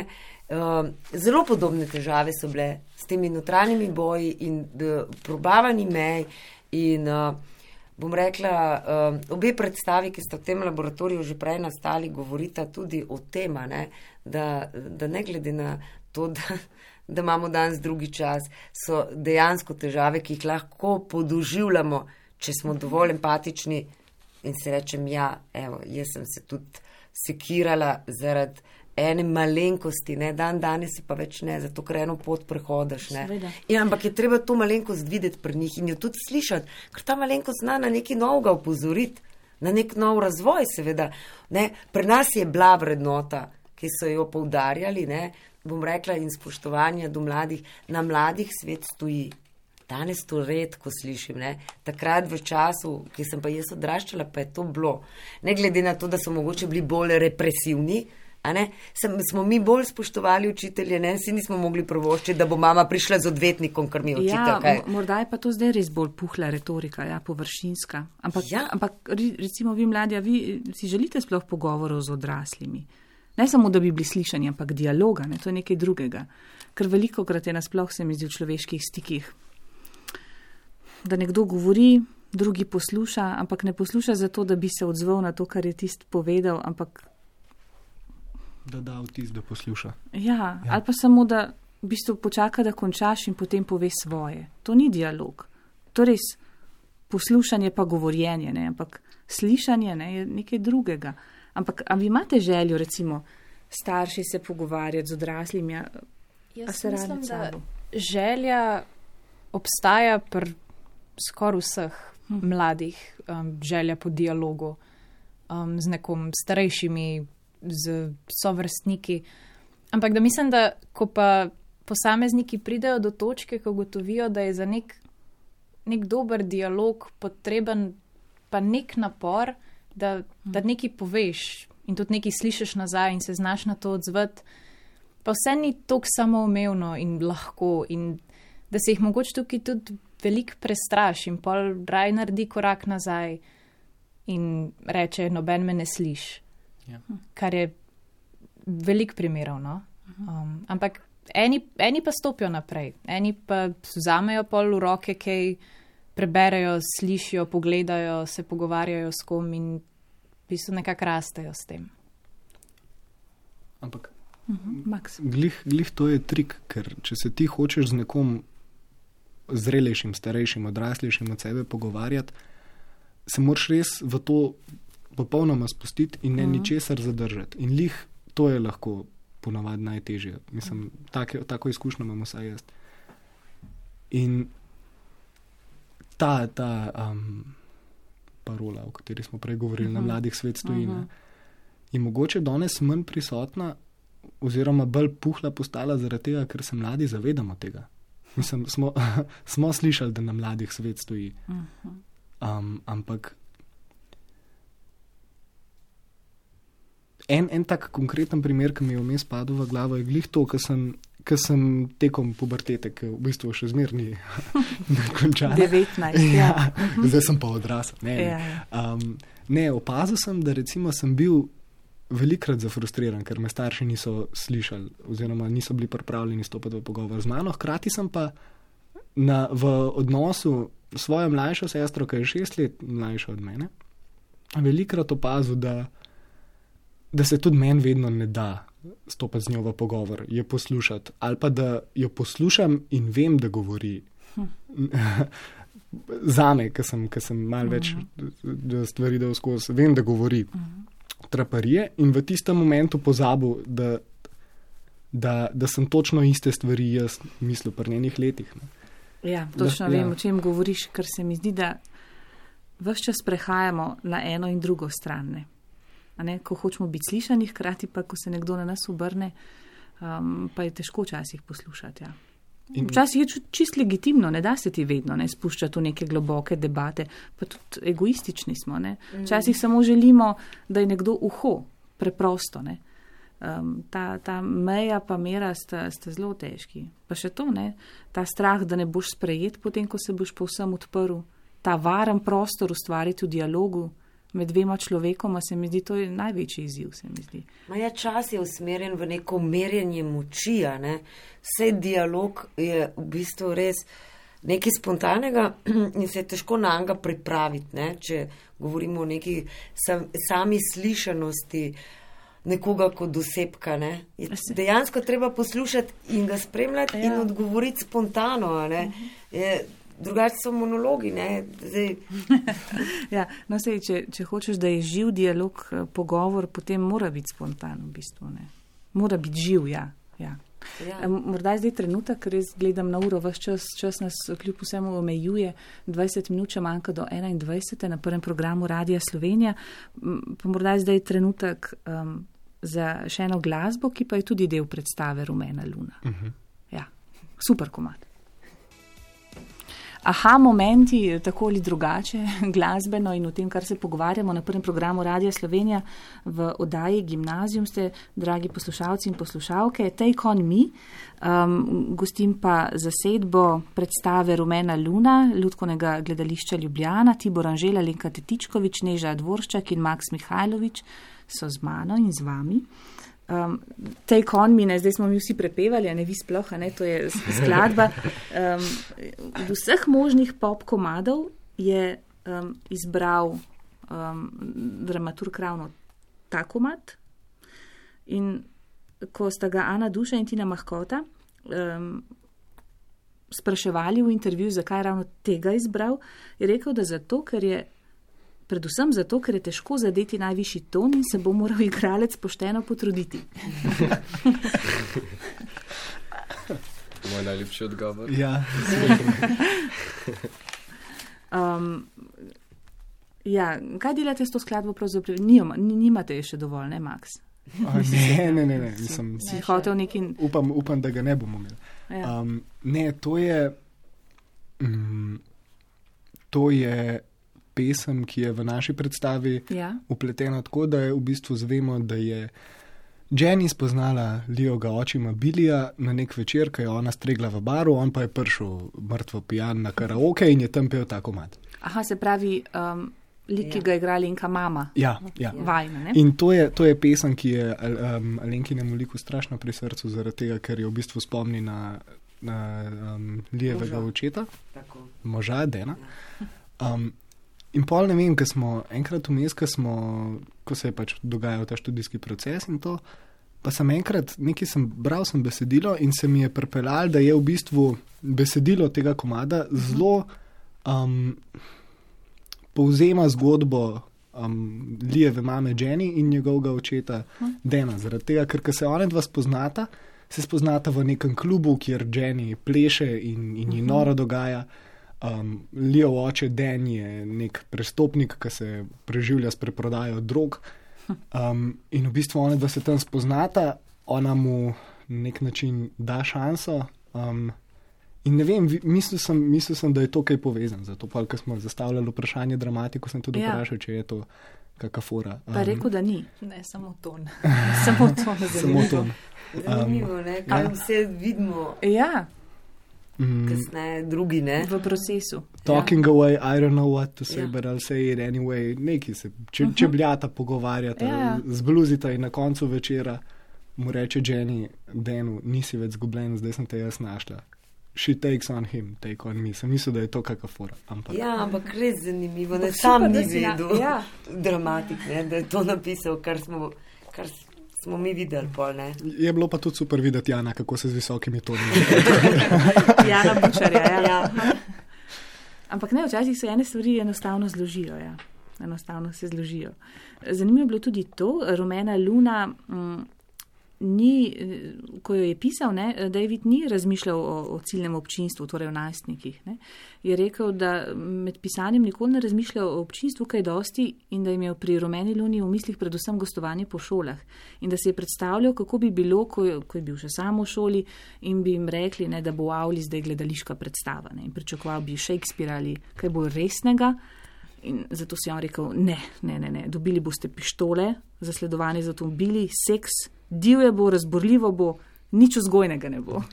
Uh, zelo podobne težave so bile s temi notranjimi boji in uh, probavani mej in uh, bom rekla, uh, obe predstavi, ki sta v tem laboratoriju že prej nastali, govorita tudi o tem, ne, da, da ne glede na to, da, da imamo danes drugi čas, so dejansko težave, ki jih lahko podoživljamo, če smo dovolj empatični in se rečem, ja, evo, jaz sem se tudi sekirala zaradi ene malenkosti, ne, dan danes pa več ne, zato ker eno pot prehodaš, ne. In, ampak je treba to malenkost videti pri njih in jo tudi slišati, ker ta malenkost zna na nekaj novega upozoriti, na nek nov razvoj, seveda, ne. Pri nas je bila vrednota, ki so jo poudarjali, ne, bom rekla, in spoštovanje do mladih, na mladih svet stoji. Danes to redko slišim, ne. Takrat v času, ki sem pa jaz odraščala, pa je to bilo. Ne glede na to, da so mogoče bili bolj represivni, a ne, Sem, smo mi bolj spoštovali učitelje, ne, si nismo mogli provoščiti, da bo mama prišla z odvetnikom, ker mi je očital, kaj. Ja, morda je pa to zdaj res bolj puhla retorika, ja, površinska. Ampak, ja. ampak recimo vi mladi, vi si želite sploh pogovorov z odraslimi. Ne samo, da bi bili slišani, ampak dialoga, ne, to je nekaj drugega. Ker veliko krat je nasploh se mi zdi v človeških stikih, da nekdo govori, drugi posluša, ampak ne posluša zato, da bi se odzval na to, kar je tist povedal, ampak da da vtis, da posluša. Ja, ja, ali pa samo, da v bistvu počaka, da končaš in potem pove svoje. To ni dialog. To res poslušanje pa govorjenje, ne, ampak slišanje, ne, je nekaj drugega. Ampak, a vi imate željo, recimo, starši se pogovarjati z odraslimi, a, a se radi med sabo? Želja obstaja pri skoraj vseh hm. mladih, um, želja po dialogu um, z nekom starejšimi, z sovrstniki. Ampak da mislim, da ko pa posamezniki pridejo do točke, ko ugotovijo, da je za nek, nek dober dialog potreben pa nek napor, da, da nekaj poveš in tudi nekaj slišiš nazaj in se znaš na to odzvati, pa vse ni toliko samoumevno in lahko in da se jih mogoče tukaj tudi veliko prestraš in pol raj naredi korak nazaj in reče, noben me ne sliši. Ja. Kar je veliko primerov, no? Um, ampak eni, eni pa stopijo naprej, eni pa vzamejo pol v roke, kaj preberejo, slišijo, pogledajo, se pogovarjajo s kom in v bistvu nekako rastejo s tem. Ampak uh-huh. Max. Glih, glih to je trik, ker če se ti hočeš z nekom zrelejšim, starejšim, odraslejšim od sebe pogovarjati, se moraš res v to popolnoma spustiti in ne uh-huh. ničesar zadržati. In lih to je lahko ponavadi najtežje. Mislim, take, tako izkušnjo imam vsaj jaz. In ta, ta um, parola, o kateri smo prej govorili, uh-huh. na mladih svet stoji, uh-huh. je mogoče danes manj prisotna oziroma bolj puhla postala zaradi tega, ker se mladi zavedamo tega. Mislim, smo, smo slišali, da na mladih svet stoji. Uh-huh. Um, ampak en, en tak konkreten primer, ki mi je vmes padel v glavo, je glih to, ker sem, sem tekom pubertete, ki v bistvu še zmerni končala. devetnajst, ja. ja. Zdaj sem pa odrasel. Ne, ne. Ja. Um, ne, opazil sem, da recimo sem bil velikrat zafrustriran, ker me starši niso slišali oziroma niso bili pripravljeni stopiti v pogovor z mano. Hkrati sem pa na, v odnosu s svojo mlajšo sestro, ki je šest let mlajša od mene, velikrat opazil, da, da se tudi meni vedno ne da stopiti z njo v pogovor, je poslušati. Ali pa da jo poslušam in vem, da govori. Hm. Zame, ker sem, sem malo več uh-huh. stvari dal skozi, vem, da govori. Uh-huh. Traparije in v tistem momentu pozabil, da, da, da sem točno iste stvari jaz mislil pri njenih letih. Ne. Ja, točno da, vem, ja. O čem govoriš, ker se mi zdi, da ves čas prehajamo na eno in drugo stran. Ne. A ne, ko hočemo biti slišani, hkrati pa, ko se nekdo na nas obrne, um, pa je težko včasih poslušati. Ja. In včasih je čist legitimno, ne da se ti vedno ne spuščati v neke globoke debate, pa tudi egoistični smo. Ne. Včasih samo želimo, da je nekdo uho, preprosto. Ne. Um, ta, ta meja pa mera sta, sta zelo težki. Pa še to, ne, ta strah, da ne boš sprejet potem, ko se boš povsem odprl, ta varen prostor ustvariti v dialogu med dvema človekoma, se mi zdi, to je največji izziv, se mi zdi. Maja, čas je usmerjen v neko merjenje moči, ne? Vse dialog je v bistvu res nekaj spontanega in se je težko na njega pripraviti, ne? Če govorimo o neki sam, sami slišanosti nekoga kot osebka, ne? Je dejansko treba poslušati in ga spremljati ja. In odgovoriti spontano, ne? Je, drugače so monologi, ne? Zdaj... ja, no sej, če, če hočeš, da je živ dialog, pogovor, potem mora biti spontan v bistvu, ne? Mora biti živ, ja. ja. ja. Morda je zdaj trenutek, ker res gledam na uro, vaš čas, čas nas kljub vsemu omejuje, dvajset minut še manjka do enaindvajset na prvem programu Radia Slovenija, pa morda je zdaj trenutek um, za še eno glasbo, ki pa je tudi del predstave Rumena luna. Uh-huh. Ja, super komad. Aha, momenti, tako ali drugače, glasbeno in o tem, kar se pogovarjamo na prvem programu Radia Slovenija v oddaji Gimnazijum ste, dragi poslušalci in poslušalke, Take on me, um, gostim pa zasedbo predstave Rumena luna, Lutkovnega gledališča Ljubljana, Tibor Anžel, Alenka Tetičkovič, Neža Dvorščak in Maks Mihajlović so z mano in z vami. Um, Take on me, ne, zdaj smo mi vsi prepevali, a ne vi sploh, a ne, to je skladba. Um, v vseh možnih pop komadov je um, izbral um, dramaturg ravno ta komad in ko sta ga Ana Duša in Tina Mahkota um, spraševali v intervjuju, zakaj ravno tega izbral, je rekel, da zato, ker je predvsem zato, ker je težko zadeti najvišji ton in se bo moral igralec pošteno potruditi. Moj najljubši odgovor. Ja. um, ja, kaj delate s to skladbo? Nima, nimate je še dovolj, ne, Maks? O, ne, ne, ne, ne. Mislim, si hotel neki... Upam, upam, da ga ne bomo imeli. Ja. Um, ne, to je... Mm, to je... pesem, ki je v naši predstavi ja. Upletena tako, da je v bistvu zvemo, da je Jenny spoznala Leoga očima Billija na nek večer, ko je ona stregla v baru, on pa je prišel mrtvo pijan na karaoke in je tam pel ta komad. Aha, se pravi, um, lik, ki ja. Ga igra Alenka mama. Ja, ja. Vajna, ne? In to je, to je pesem, ki je um, Alenkinemu liku strašno pri srcu, zaradi tega, ker je v bistvu spomni na, na um, Lijevega očeta, moža Dena. Um, In pol ne vem, ko smo enkrat vmes, ko smo, ko se je pač dogajal ta študijski proces in to, pa sem enkrat, nekaj sem bral sem besedilo in se mi je pripeljal, da je v bistvu besedilo tega komada zelo um, povzema zgodbo um, Lijeve mame Jenny in njegovega očeta Dena. Zaradi tega, ker ko se one dva spoznata, se spoznata v nekem klubu, kjer Jenny pleše in, in ji noro dogaja. Um, Leo oče Den je nek prestopnik, ki se preživlja s preprodajo drog um, in v bistvu ona dva se tam spoznata, ona mu na nek način da šanso um, In ne vem, mislil sem, mislil sem, da je to kaj povezan. Zato pa, ko smo zastavljali vprašanje dramatiko, sem tudi Ja. vprašal, če je to kakšna fora. Pa rekel, da ni. Ne, samo ton. Samo to ne Samo to. Zanimivo, ne? Kaj vse vidimo Ja, Mm, kasneje, drugi, ne? v procesu. talking away, I don't know what to say, Ja. but I'll say it anyway. Neki se če, čebljata pogovarjata, Ja. zbluzita in na koncu večera mu reče Jenny, Danu, nisi več zgubljen, zdaj sem te jaz našla. She takes on him, take on me. Sem mislil, da je to kakšna fora. Ampak Ja, ampak res zanimivo, ne Ampak sam super, da ni si na- vedel, ja. dramatik, ne, da je to napisal, kar smo, kar smo mi videli pol, ne. je bilo pa tudi super videti Jana, kako se z visokimi toni. Jana Bučarja, ja. Ja. Ampak ne, včasih se ene stvari enostavno zložijo. Ja. Enostavno se zložijo. Zanimivo je bilo tudi to, Rumena Luna, m, ni, eh, ko jo je pisal, ne, David ni razmišljal o, o ciljnem občinstvu, torej o najstnikih. Ne. Je rekel, da med pisanjem nikoli ne razmišlja o občinstvu kaj dosti in da je imel pri Rumeni Luni v mislih predvsem gostovanje po šolah. In da se je predstavljal, kako bi bilo, ko je, ko je bil še sam v šoli in bi jim rekli, ne, da bo v avli zdaj gledališka predstava. Ne, in pričakoval bi Shakespeare ali kaj bolj resnega. In zato si je on rekel, ne, ne, ne, ne, dobili boste pištole, zasledovanje z avtomobili, seks, divje bo, razborljivo bo, nič vzgojnega ne bo.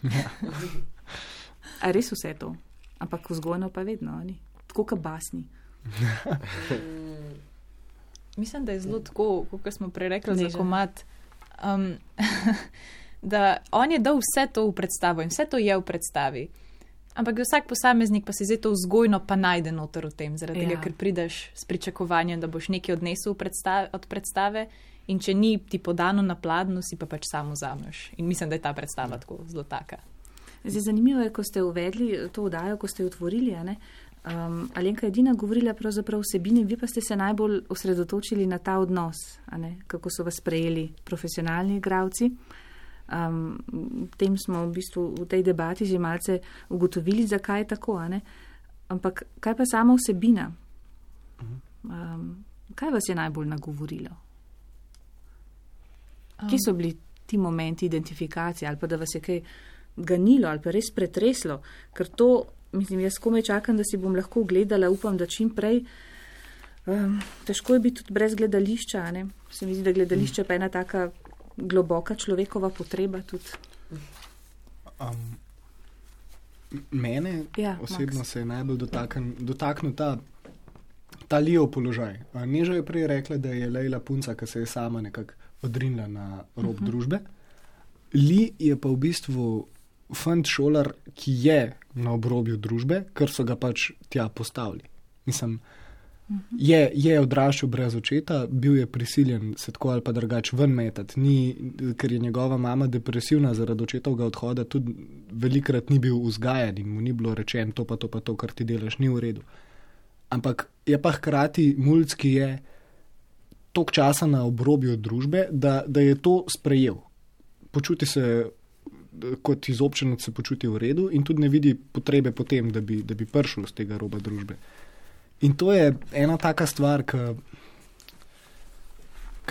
A res vse to? Ampak vzgojno pa vedno, ni? Tako kot basni. Mislim, da je zelo tako, kot smo prej rekli za Neža. komad, um, da on je dal vse to v predstavo in vse to je v predstavi. Ampak vsak posameznik pa se zdaj to vzgojno pa najde noter v tem, zaradi tega, Ja. ker prideš s pričakovanjem, da boš nekaj odnesel v predstave, od predstave in če ni ti podano na pladnju, si pa pač samo vzameš. In mislim, da je ta predstava tako zelo taka. Zdaj, zanimivo je, ko ste uvedli to oddajo, ko ste jo otvorili, a ne? Um, Alenka je edina govorila pravzaprav o vsebini, vi pa ste se najbolj osredotočili na ta odnos, a ne? Kako so vas sprejeli profesionalni igravci. Um, tem smo v bistvu v tej debati že malce ugotovili, zakaj je tako, a ne? Ampak kaj pa sama vsebina? Um, kaj vas je najbolj nagovorilo? Kje so bili ti momenti identifikacije ali pa da vas je kaj ganilo ali pa res pretreslo? Ker to, mislim, jaz komaj čakam, da si bom lahko gledala, upam, da čim prej. Um, težko je biti tudi brez gledališča, a ne? Se mi zdi, da gledališče pa je ena taka globoka človekova potreba tudi. Um, mene Ja, osebno Max. se je najbolj dotakn, dotaknil ta, ta Lijev položaj. A Neža je prej rekla, da je Lejla punca, ki se je sama nekako odrinila na rob uh-huh. družbe. Li je pa v bistvu fant šolar, ki je na obrobju družbe, ker so ga pač tja postavili. Mislim, Je, je odraščal brez očeta, bil je prisiljen se tako ali pa drugače ven metati, ni, ker je njegova mama depresivna zaradi očetovega odhoda, tudi velikrat ni bil vzgajan in mu ni bilo rečeno, to pa to pa to, kar ti delaš, ni v redu. Ampak je pa hkrati mulc, ki je toliko časa na obrobju družbe, da, da je to sprejel. Počuti se kot izobčenec, se počuti v redu in tudi ne vidi potrebe potem, da bi, da bi prišel z tega roba družbe. In to je ena taka stvar, ki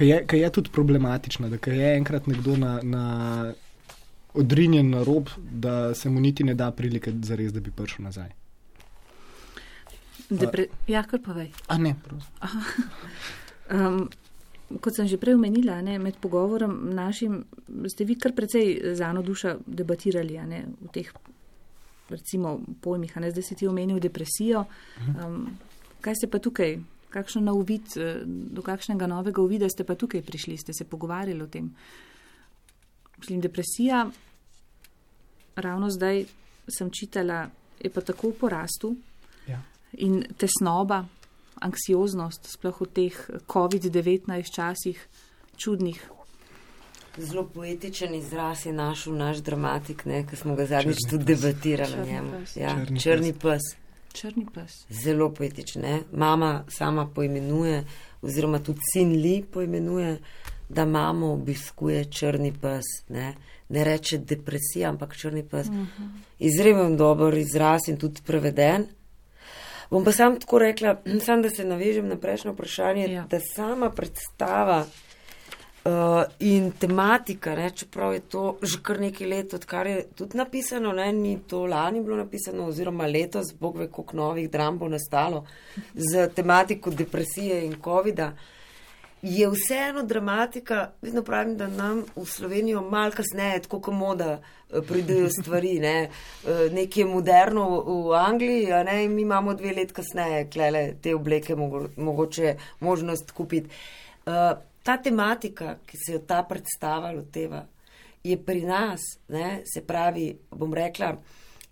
je, je tudi problematična, da je enkrat nekdo na, na odrinjen na rob, da se mu niti ne da prilike za res, da bi prišel nazaj. Depre- ja, kar povej. A ne, prosim. Um, kot sem že prej omenila, ne, med pogovorom našim ste vi kar precej z Ano Duša debatirali, a ne, v teh recimo pojmih, a ne, zdaj si ti omenil depresijo. Um, kaj ste pa tukaj, kakšno nov uvid, do kakšnega novega uvida ste pa tukaj prišli, ste se pogovarjali o tem? Mislim, depresija, ravno zdaj sem čitala, je pa tako v porastu. Ja. In tesnoba, anksioznost, sploh v teh covid devetnajst časih, čudnih. Zelo poetičen izraz je našel naš dramatik, ki smo ga zadnjič Črni tudi pes. debatirali o Črni njemu. pes. Ja, Črni črni pes. Črni pes. Zelo poetičen. Ne? Mama sama poimenuje, oziroma tudi sin Li poimenuje, da mamo obiskuje črni pes. Ne, ne reče depresija, ampak črni pes. Uh-huh. Izremen dober izraz in tudi preveden. Bom pa sam tako rekla, sam da se navežem na prejšnjo vprašanje, Ja. da sama predstava Uh, in tematika, ne, čeprav je to že kar nekaj let, odkar je tudi napisano, ne, ni to lani bilo napisano, oziroma letos, bog ve, koliko novih dram bo nastalo z tematiko depresije in covida, je vseeno dramatika, vedno pravim, da nam v Slovenijo malo kasneje, tako kot moda, pridejo stvari, ne, nekaj je moderno v Angliji, a ne, in mi imamo dve let kasneje, klele, te obleke mogo, mogoče možnost kupiti. Uh, Ta tematika, ki se jo ta predstava loteva, je pri nas, ne, se pravi, bom rekla,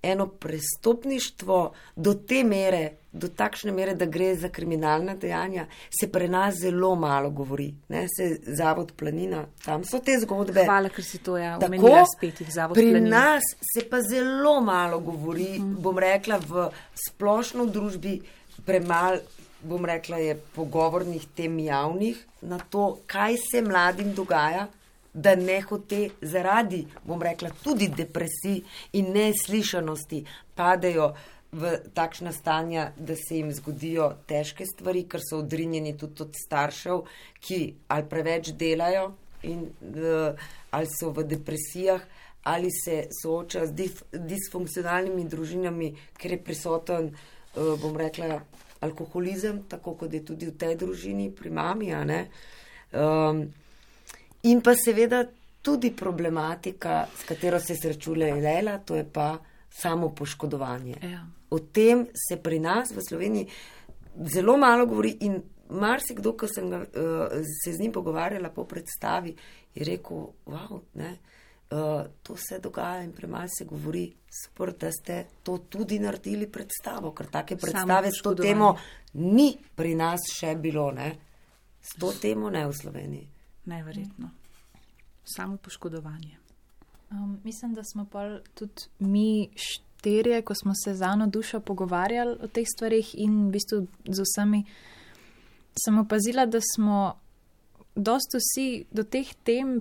eno prestopništvo do te mere, do takšne mere, da gre za kriminalna dejanja, se pri nas zelo malo govori. Ne, se Zavod Planina, tam so te zgodbe. Hvala, ker si to ja omenila spet jih Zavod Planina. Planina. Pri nas se pa zelo malo govori, mm. bom rekla, v splošno v družbi premalo, bom rekla, je pogovornih tem javnih na to, kaj se mladim dogaja, da ne hote zaradi, bom rekla, tudi depresij in neslišanosti padejo v takšna stanja, da se jim zgodijo težke stvari, ker so odrinjeni tudi od staršev, ki ali preveč delajo in uh, ali so v depresijah, ali se soočajo z dif- disfunkcionalnimi družinami, ker je prisoten, uh, bom rekla, alkoholizem, tako kot je tudi v tej družini pri mami, a ne. Um, in pa seveda tudi problematika, s katero se srečuje Leila, to je pa samo poškodovanje. Ja. O tem se pri nas v Sloveniji zelo malo govori in marsikdo, ko sem ga, uh, se z njim pogovarjala po predstavi, je rekel, wow, ne, Uh, to se dogaja in premalo se govori, super, da ste to tudi naredili predstavo, ker take predstave s to temo ni pri nas še bilo, ne? S to temo ne v Sloveniji. Neverjetno. Samo poškodovanje. Um, mislim, da smo pa tudi mi štirje, ko smo se z Ano Dušo pogovarjali o teh stvarih in v bistvu z vsemi, sem opazila, da smo dosti vsi do teh tem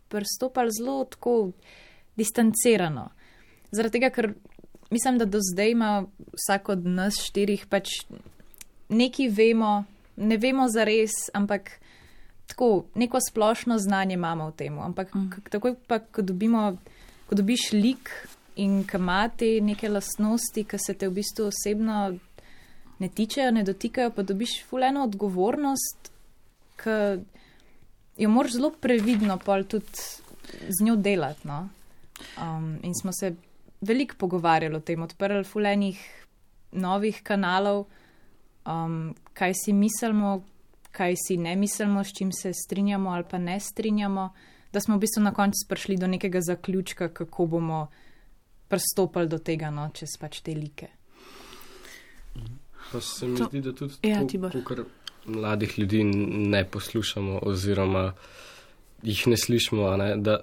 pristopali zelo tako distancirano. Zaradi tega, ker mislim, da do zdaj ima vsak od nas štirih pač nekaj vemo, ne vemo zares, ampak tako neko splošno znanje imamo v tem. Ampak mm. takoj pa, ko dobimo, ko dobiš lik in ko ima te neke lastnosti, ki se te v bistvu osebno ne tičejo, ne dotikajo, pa dobiš ful eno odgovornost, ki jo moraš zelo previdno pol tudi z njo delati. No? Um, in smo se veliko pogovarjali o tem, odprli fulenih novih kanalov, um, kaj si mislimo, kaj si ne mislimo, s čim se strinjamo ali pa ne strinjamo, da smo v bistvu na koncu prišli do nekega zaključka, kako bomo pristopili do tega, no, čez pač te like. Pa se mi to, zdi, da tudi ja, to, kar mladih ljudi ne poslušamo oziroma jih ne slišimo, a ne? Da,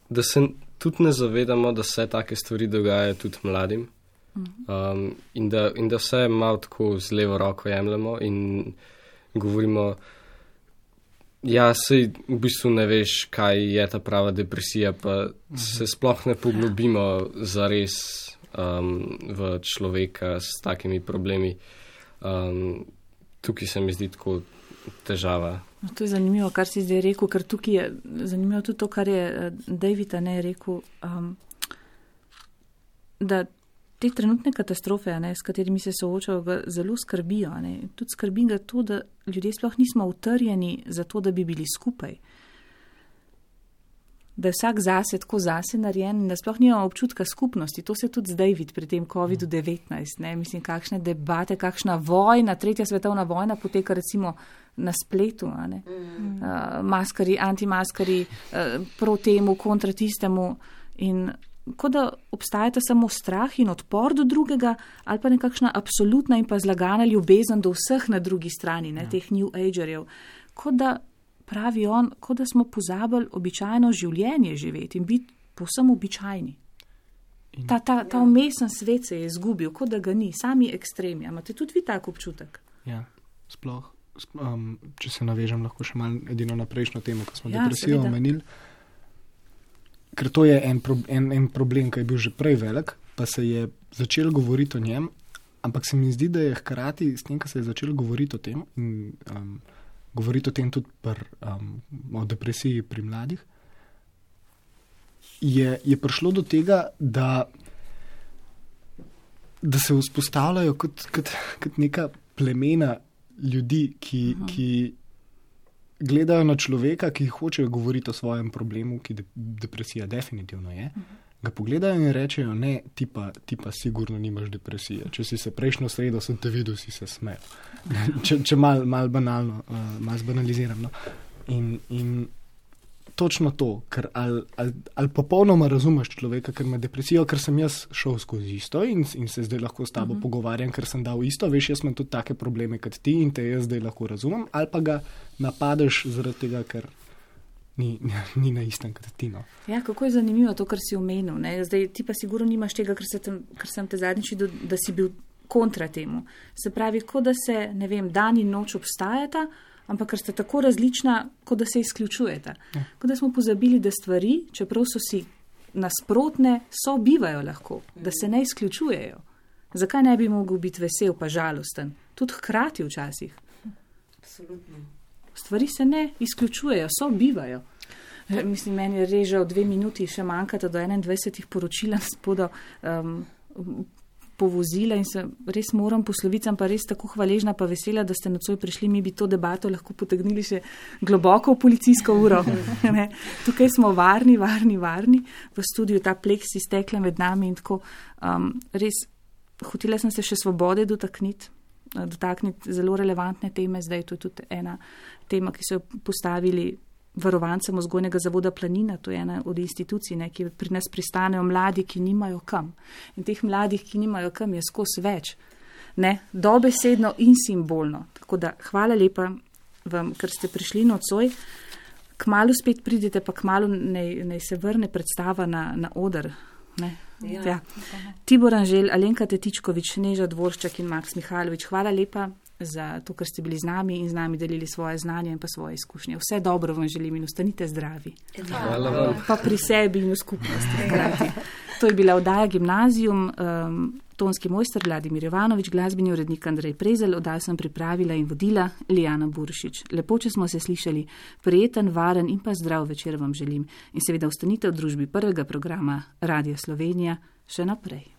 da se tudi ne zavedamo, da se take stvari dogajajo tudi mladim um, in, da, in da vse malo tako z levo roko jemljemo in govorimo, ja, sej v bistvu ne veš, kaj je ta prava depresija, pa uh-huh. se sploh ne poglobimo zares um, v človeka s takimi problemi. Um, Tukaj se mi zdi tako težava. No, to je zanimivo, kar si zdaj rekel, ker tukaj je zanimivo tudi to, kar je David ne rekel, um, da te trenutne katastrofe, ne, s katerimi se soočajo, ga zelo skrbijo. Ne. Tudi skrbi ga to, da ljudje sploh nismo utrjeni za to, da bi bili skupaj. Da je vsak zase tako zase narejen in da sploh nimamo občutka skupnosti. To se tudi zdaj vidi pri tem kovidu devetnajst. Ne? Mislim, kakšne debate, kakšna vojna, tretja svetovna vojna poteka recimo na spletu. A ne? Mm. Uh, maskari, antimaskari, uh, proti temu, kontra tistemu. In kot da obstajata samo strah in odpor do drugega ali pa nekakšna absolutna in pa zlagana ljubezen do vseh na drugi strani, ne? Ja. Teh New Agerjev. Kot da pravi on, kot da smo pozabili običajno življenje živeti in biti povsem običajni. Ta, ta, ta umesen svet se je izgubil, kot da ga ni, sami ekstremi. Imate tudi vi tak občutek? Ja, sploh. Um, če se navežem lahko še malo edino na prejšnjo temo, ko smo ja, depresijo omenili. Ker to je en, pro, en, en problem, ki je bil že prej velik, pa se je začel govoriti o njem, ampak se mi zdi, da je hkrati s tem, ko se je začel govoriti o tem in um, govoriti o tem tudi pr, um, o depresiji pri mladih, je, je prišlo do tega, da, da se vzpostavljajo kot, kot, kot neka plemena ljudi, ki, ki gledajo na človeka, ki hočejo govoriti o svojem problemu, ki de, depresija definitivno je, ga pogledajo in rečejo, ne, ti pa, ti pa sigurno nimaš depresije. Če si se prejšnjo sredo sem te videl, si se smejal. če če malo mal banalno, uh, malo zbanaliziram. No? In, in točno to, ker ali, ali, ali popolnoma razumeš človeka, ker ima depresijo, ker sem jaz šel skozi isto in, in se zdaj lahko s tabo uh-huh. pogovarjam, ker sem dal isto, veš, jaz imam tudi take probleme kot ti in te jaz zdaj lahko razumem, ali pa ga napadeš zaradi tega, ker Ni, ni na istem kot ti. No. Ja, kako je zanimivo to, kar si omenil. Ne? Zdaj, ti pa sigurno nimaš tega, ker, se tem, ker sem te zadnjič, da si bil kontra temu. Se pravi, kot da se, ne vem, dan in noč obstajata, ampak ker sta tako različna, kot da se izključujeta. Ja. Kot da smo pozabili, da stvari, čeprav so si nasprotne, sobivajo lahko, da se ne izključujejo. Zakaj ne bi mogel biti vesel pa žalosten? Tudi hkrati včasih. Absolutno. Stvari se ne izključujejo, so bivajo. Mislim, meni je režal dve minuti, še manjkata do enaindvajsetih poročila spodo um, povozila in se res moram posloviti, sem pa res tako hvaležna pa vesela, da ste nocoj prišli, mi bi to debato lahko potegnili še globoko v policijsko uro. Ne? Tukaj smo varni, varni, varni, v studiu ta pleksi stekla med nami in tako um, res hotela sem se še svobode dotakniti. dotakniti zelo relevantne teme. Zdaj to je tudi ena tema, ki so jo postavili varovancem vzgojnega zavoda Planina, to je ena od institucij, ne, ki pri nas pristanejo mladi, ki nimajo kam. In teh mladih, ki nimajo kam, je skozi več. Ne, dobesedno in simbolno. Tako da hvala lepa vam, ker ste prišli nocoj. Kmalu spet pridete, pa kmalu naj, naj se vrne predstava na, na oder. Ne. Ja. Ja. Tibor Anželj, Alenka Tetičkovič, Neža Dvorščak in Maks Mihajlović, hvala lepa za to, ker ste bili z nami in z nami delili svoje znanje in pa svoje izkušnje. Vse dobro vam želim in ostanite zdravi. Hvala vam. Pa pri sebi in v skupnosti. To je bila oddaja Gimnazijum, um, tonski mojster Vladimir Jovanović, glasbeni urednik Andrej Prezelj, oddajo sem pripravila in vodila Lijana Buršič. Lepo, če smo se slišali, prijeten, varen in pa zdrav večer vam želim. In seveda ostanite v družbi prvega programa Radia Slovenija še naprej.